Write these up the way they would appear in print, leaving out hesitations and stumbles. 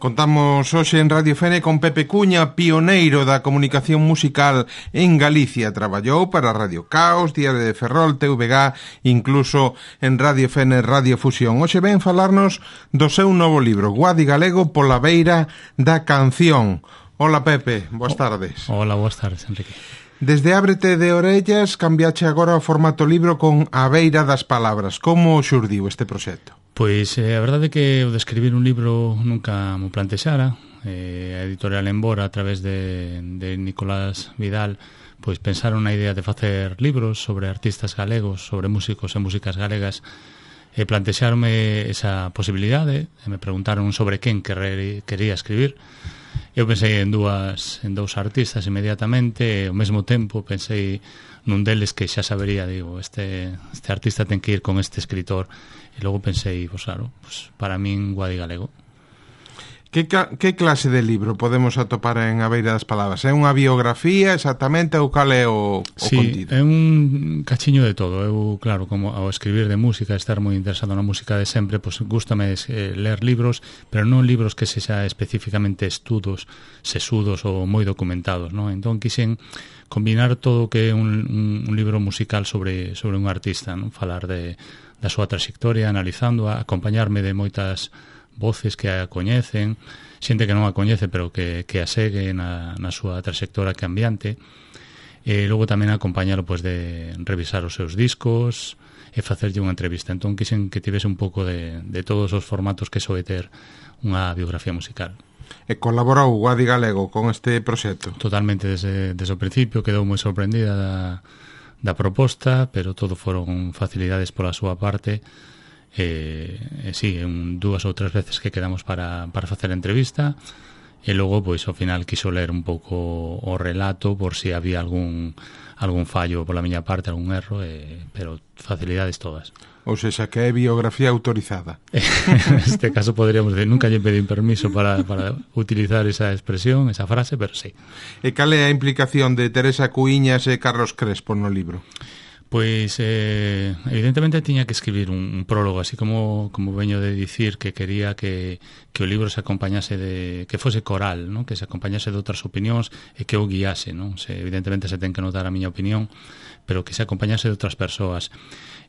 Contamos hoxe en Radio Fene con Pepe Cuña, pioneiro da comunicación musical en Galicia. Traballou para Radio Caos, Diario de Ferrol, TVG, incluso en Radio Fene, Radio Fusión. Hoxe ven falarnos do seu novo libro, Guadi Galego pola beira da canción. Hola Pepe, boas tardes. Hola, boas tardes, Enrique. Desde Ábrete de Orellas cambiache agora o formato libro con A beira das palabras. Como xurdiu este proxecto? Pois a verdade é que o de escribir un libro nunca mo plantexara. A editorial Embora, a través de Nicolás Vidal, pois pensaron na idea de facer libros sobre artistas galegos, sobre músicos e músicas galegas, e plantexaronme esa posibilidade, e me preguntaron sobre quen quería escribir. Eu pensei en dous artistas inmediatamente, e ao mesmo tempo pensei nun deles que xa sabería, digo, este artista ten que ir con este escritor. E logo pensei, pois claro, para min Guadi Galego. Que clase de libro podemos atopar en A beira das palabras? É unha biografía exactamente ou cal é o contido? Sí, é un cachiño de todo. Eu, claro, como ao escribir de música, estar moi interesado na música de sempre, pois gústame ler libros, pero non libros que sexa especificamente estudos sesudos ou moi documentados, non? Entón quixen combinar todo o que é un libro musical sobre un artista, non? Falar da súa trayectoria, analizándoa, acompañarme de moitas voces que a coñecen, xente que non a coñece pero que a segue na súa trayectoria cambiante, e logo tamén acompañalo pois de revisar os seus discos e facerlle unha entrevista. Entón quixen que tivese un pouco de todos os formatos que soe ter unha biografía musical. E colaborou Guadi Galego con este proxecto? Totalmente, desde o principio quedou moi sorprendida da proposta, pero todo foron facilidades pola súa parte. Sí, dúas ou tres veces que quedamos para facer a entrevista, e logo, pois, ao final quiso ler un pouco o relato por si había algún fallo pola miña parte, algún erro, pero facilidades todas. Ou seja, que é biografía autorizada. Neste caso poderíamos decir, nunca lle pedín permiso para utilizar esa expresión, esa frase, pero sí. E cal é a implicación de Teresa Cuíñas e Carlos Crespo no libro? Pois, evidentemente tiña que escribir un prólogo, así como veño de dicir que quería que o libro se acompañase que fose coral, ¿no? Que se acompañase de outras opinións e que o guiase, ¿no? Evidentemente se ten que notar a miña opinión, pero que se acompañase de outras persoas.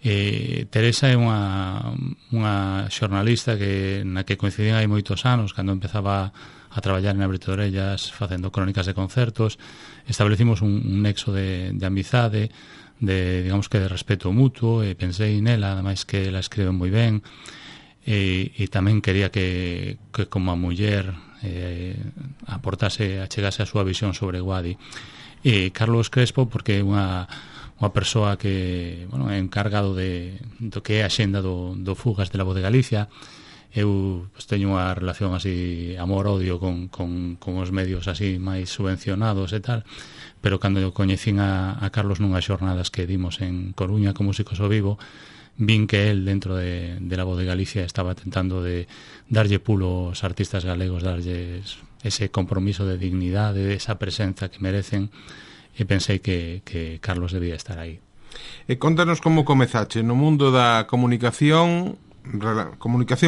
Teresa é unha xornalista na que coincidín hai moitos anos, cando empezaba a traballar en Ábrete de Orellas facendo crónicas de concertos. Establecimos un nexo de amizade, digamos que de respeto mutuo, e pensei nela, ademais que ela escribe moi ben, e tamén quería que como a muller achegase a súa visión sobre Guadi. E Carlos Crespo, porque é unha persoa que, bueno, é encargado do que é a xenda do Fugas de la Voz de Galicia. Eu teño unha relación así amor-odio con os medios así máis subvencionados e tal, pero cando eu coñecín a Carlos nunhas xornadas que dimos en Coruña con Músicos ao Vivo, vin que él dentro de la Voz de Galicia estaba tentando de darlle pulo aos artistas galegos, darlles ese compromiso de dignidade, esa presenza que merecen, e pensei que Carlos debía estar aí. E contanos como comezache no mundo da comunicación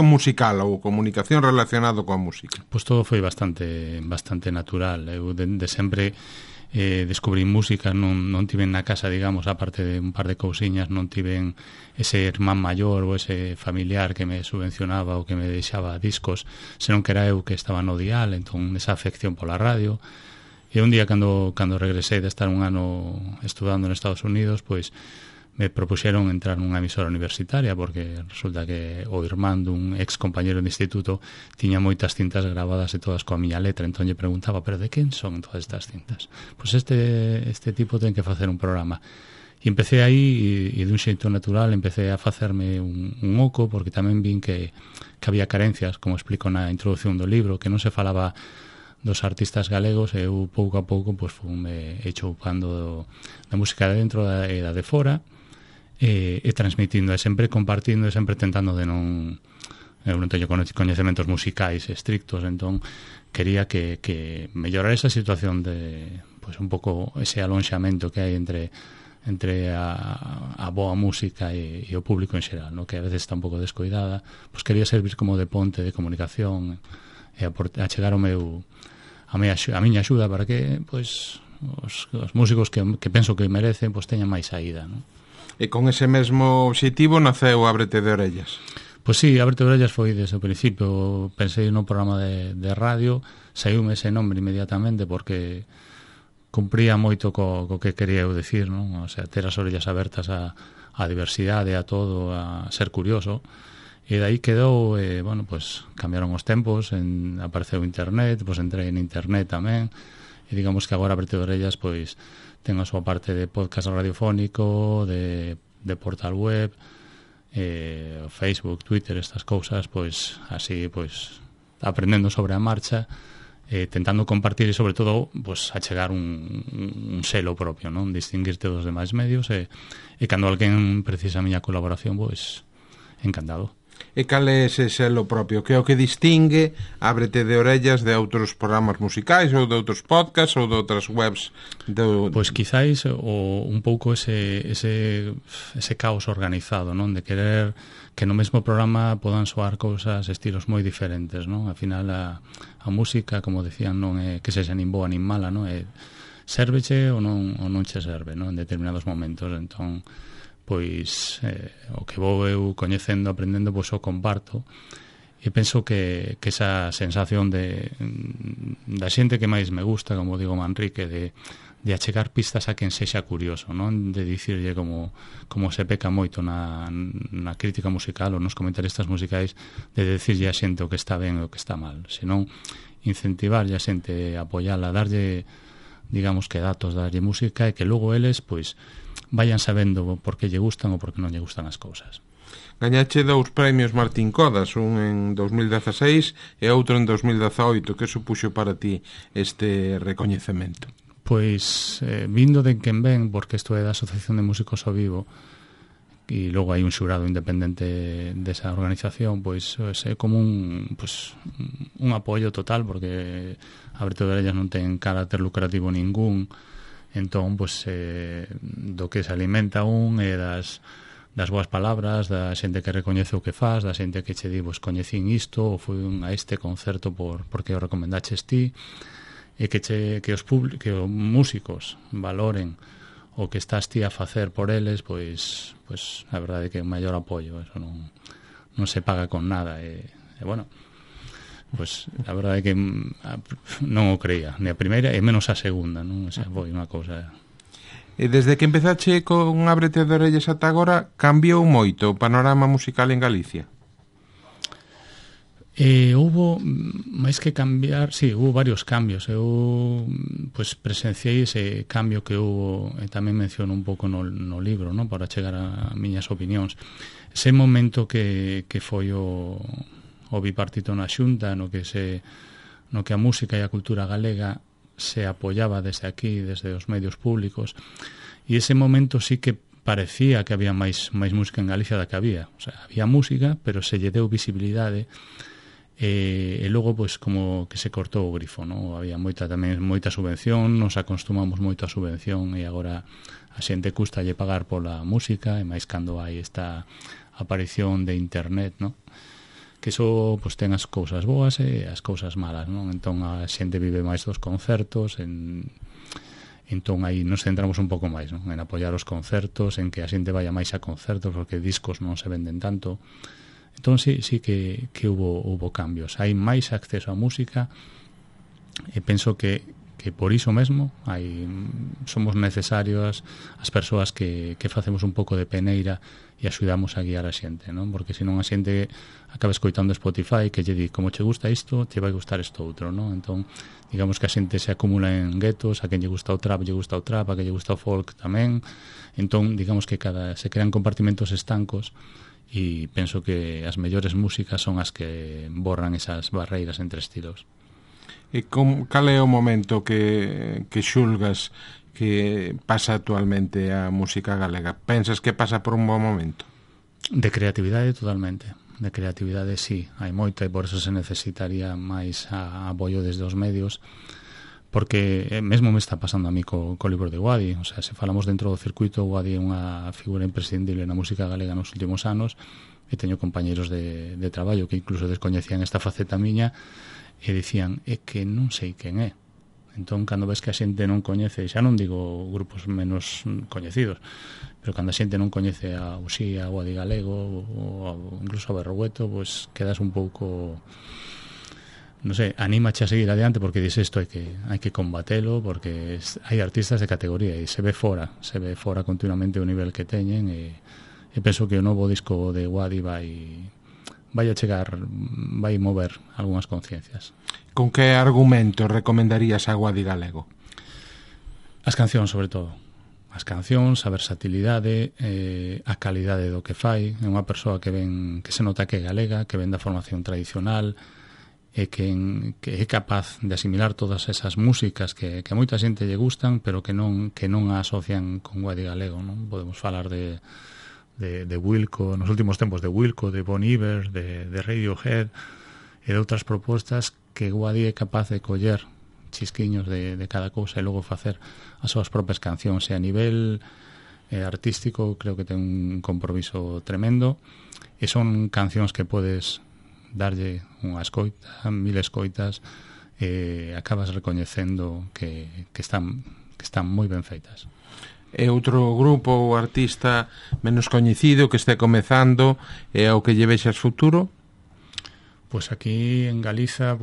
musical ou comunicación relacionado coa música. Pois todo foi bastante natural. Eu de sempre descubrí música, non tiven na casa, digamos, aparte de un par de cousiñas, non tiven ese irmán maior ou ese familiar que me subvencionaba ou que me deixaba discos, senón que era eu que estaba no dial, entón esa afección pola radio. E un día cando regresei de estar un ano estudando en Estados Unidos, pois me propuxeron entrar nunha emisora universitaria, porque resulta que o irmán dun ex compañero de instituto tiña moitas cintas grabadas e todas coa miña letra, entón lle preguntaba, pero de quen son todas estas cintas? Pois este tipo ten que facer un programa. E empecé aí, e dun xeito natural empecé a facerme un oco, porque tamén vin que había carencias, como explico na introducción do libro, que non se falaba dos artistas galegos, e eu pouco a pouco pois fume choupando da música de dentro e da de fora, e transmitindo, e sempre compartindo, e sempre tentando de non... Eu non teño coñecementos musicais estrictos, entón quería que mellorar esa situación de, pois, un pouco ese alonxamento que hai entre a boa música e o público en xeral, no? Que a veces está un pouco descoidada. Pois quería servir como de ponte de comunicación a chegar a miña axuda para que pois os músicos que penso que merecen pois teñan máis saída, non? E con ese mesmo obxectivo naceu Ábrete de Orellas. Pois sí, Ábrete de Orellas foi desde o principio. Pensei no programa de radio, saiume ese nombre inmediatamente porque cumpría moito co que quería eu decir, non? O sea, ter as orellas abertas a diversidade, a todo, a ser curioso. E dai quedou, bueno, pois cambiaron os tempos, apareceu internet, pois entrei en internet tamén, e digamos que agora Ábrete de Orellas pois ten a súa parte de podcast radiofónico, de portal web, Facebook, Twitter, estas cousas, pois así, pois aprendendo sobre a marcha, tentando compartir e sobre todo pois achegar un selo propio, non? Distinguirte dos demais medios e cando alguén precisa a miña colaboración, pois encantado. E cal é ese selo propio? Que é o que distingue Ábrete de Orellas de outros programas musicais ou de outros podcasts ou de outras webs? Pois quizáis un pouco ese caos organizado, non? De querer que no mesmo programa podan soar cousas, estilos moi diferentes, non? Al final a música, como decían, non é que sexa nin boa nin mala, non? É sérveche ou non che serve, non? En determinados momentos, entón pois o que vou eu coñecendo, aprendendo, pois o comparto e penso que esa sensación da xente que máis me gusta, como digo Manrique, de achegar pistas a quen sexa curioso, non? De dicirlle como se peca moito na crítica musical ou nos comentaristas musicais, de dicirlle a xente o que está ben e o que está mal, senón incentivarlle a xente, apoiala, darlle, digamos que datos, darlle música e que logo eles, pois vayan sabendo por que lle gustan ou por que non lle gustan as cousas. Gañache 2 premios Martín Codas, un en 2016 e outro en 2018. Que supuxo para ti este recoñecemento? Pois vindo de quen ven, porque isto é da Asociación de Músicos ao Vivo e logo hai un xurado independente desa organización, pois é como un apoio total, porque Ábrete de Orellas non ten carácter lucrativo ningún. Entón, pois, do que se alimenta é das boas palabras, da xente que recoñece o que faz, da xente que che di, pois, coñecín isto, ou fui a este concerto porque o recomendaches ti, e que os músicos valoren o que estás ti a facer por eles, pois a verdade é que é un maior apoio, eso non se paga con nada, e bueno, pois a verdade é que non o creía ni a primeira e menos a segunda, non? O sea, foi unha cousa. E desde que empezache con Ábrete de Orellas ata agora, cambiou moito o panorama musical en Galicia? Houbo, máis que cambiar, sí, houbo varios cambios. Eu pois presenciei ese cambio que houbo, e tamén menciono un pouco no libro, non? Para chegar a miñas opinións. Ese momento que foi o bipartito na Xunta, no que a música e a cultura galega se apoiaba desde aquí, desde os medios públicos, e ese momento sí que parecía que había máis música en Galicia da que había. O sea, había música, pero se lle deu visibilidade, e logo pois como que se cortou o grifo, non? Había moita subvención, nos acostumamos moito a subvención, e agora a xente custalle pagar pola música, e máis cando hai esta aparición de internet, non? Que iso pois ten as cousas boas e as cousas malas, non? Entón a xente vive máis dos concertos, entón aí nos centramos un pouco máis, non? En apoiar os concertos, en que a xente vaya máis a concertos, porque discos non se venden tanto. Entón sí que hubo cambios. Hai máis acceso á música, e penso que por iso mesmo somos necesarios as persoas que facemos un pouco de peneira e axudamos a guiar a xente, non? Porque senón a xente acaba escoitando Spotify, que lle di, como che gusta isto, te vai gustar isto outro, non? Entón, digamos que a xente se acumula en guetos, a quen lle gusta o trap, a quen lle gusta o folk tamén. Entón, digamos que se crean compartimentos estancos, e penso que as mellores músicas son as que borran esas barreiras entre estilos. E cal é o momento que xulgas que pasa actualmente a música galega? Pensas que pasa por un bon momento? De creatividade, totalmente. De creatividade, sí, hai moita, e por eso se necesitaría máis apoio desde os medios, porque mesmo me está pasando a mí co libro de Guadi. O sea, se falamos dentro do circuito, Guadi é unha figura imprescindible na música galega nos últimos anos, e teño compañeiros de traballo que incluso descoñecían esta faceta miña, e dicían, é que non sei quen é. Entón, cando ves que a xente non coñece, xa non digo grupos menos coñecidos, pero cando a xente non coñece a Uxía, ou a Di Galego, ou incluso a Berrogueto, pois quedas un pouco, non sei, anímache a seguir adiante, porque dices isto hai que combatelo, porque hai artistas de categoría e se ve fora continuamente o nivel que teñen, e penso que o novo disco de Guadi vai a chegar, vai mover algunhas conciencias. Con que argumento recomendarías a Guadi Galego? As cancións, sobre todo. As cancións, a versatilidade, a calidade do que fai. É unha persoa que se nota que é galega, que ven da formación tradicional, e que é capaz de asimilar todas esas músicas que a moita xente lle gustan, pero que non a asocian con Guadi Galego, non? Podemos falar de Wilco, nos últimos tempos de Wilco, de Bon Iver, de Radiohead e de outras propostas que Guadi é capaz de coller chisquiños de cada cousa e logo facer as súas propias cancións, e a nivel artístico creo que ten un compromiso tremendo, e son cancións que podes darlle unha escoita, 1000 escoitas, e acabas recoñecendo que están moi ben feitas. E outro grupo ou artista menos coñecido que este comezando e ao que lle vexas futuro? Pois aquí en Galiza,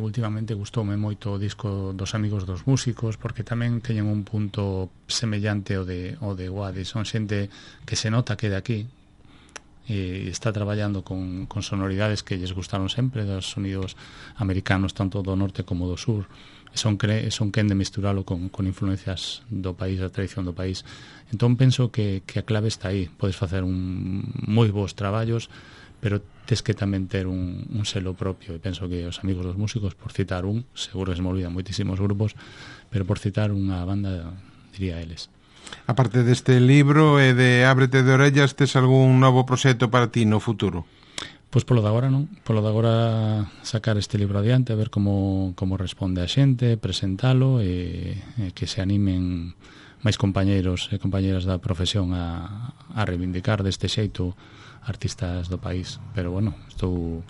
últimamente gustoume moito o disco dos Amigos dos Músicos, porque tamén teñen un punto semellante ao de Guadi. Son xente que se nota que de aquí e está traballando con sonoridades que lles gustaron sempre, dos sonidos americanos tanto do norte como do sur, e son quen de misturalo con influencias do país, da tradición do país. Entón penso que a clave está aí. Podes facer moi bons traballos, pero tes que tamén ter un selo propio, e penso que os Amigos dos Músicos, por citar seguro que se me olvidan moitísimos grupos, pero por citar unha banda, diría eles. A parte deste libro e de Ábrete de orellas, tes algún novo proxecto para ti no futuro? Pois polo de agora non, polo de agora sacar este libro adiante, a ver como responde a xente, presentalo, e que se animen máis compañeiros e compañeras da profesión a reivindicar deste xeito artistas do país. Pero bueno, estou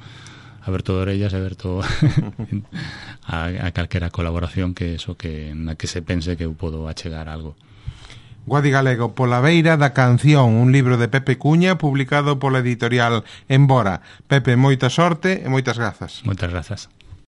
aberto de orellas e aberto a calquera colaboración na que se pense que eu podo achegar algo. Guadi Galego, Pola beira da canción, un libro de Pepe Cuña publicado pola editorial Embora. Pepe, moita sorte e moitas grazas. Moitas grazas.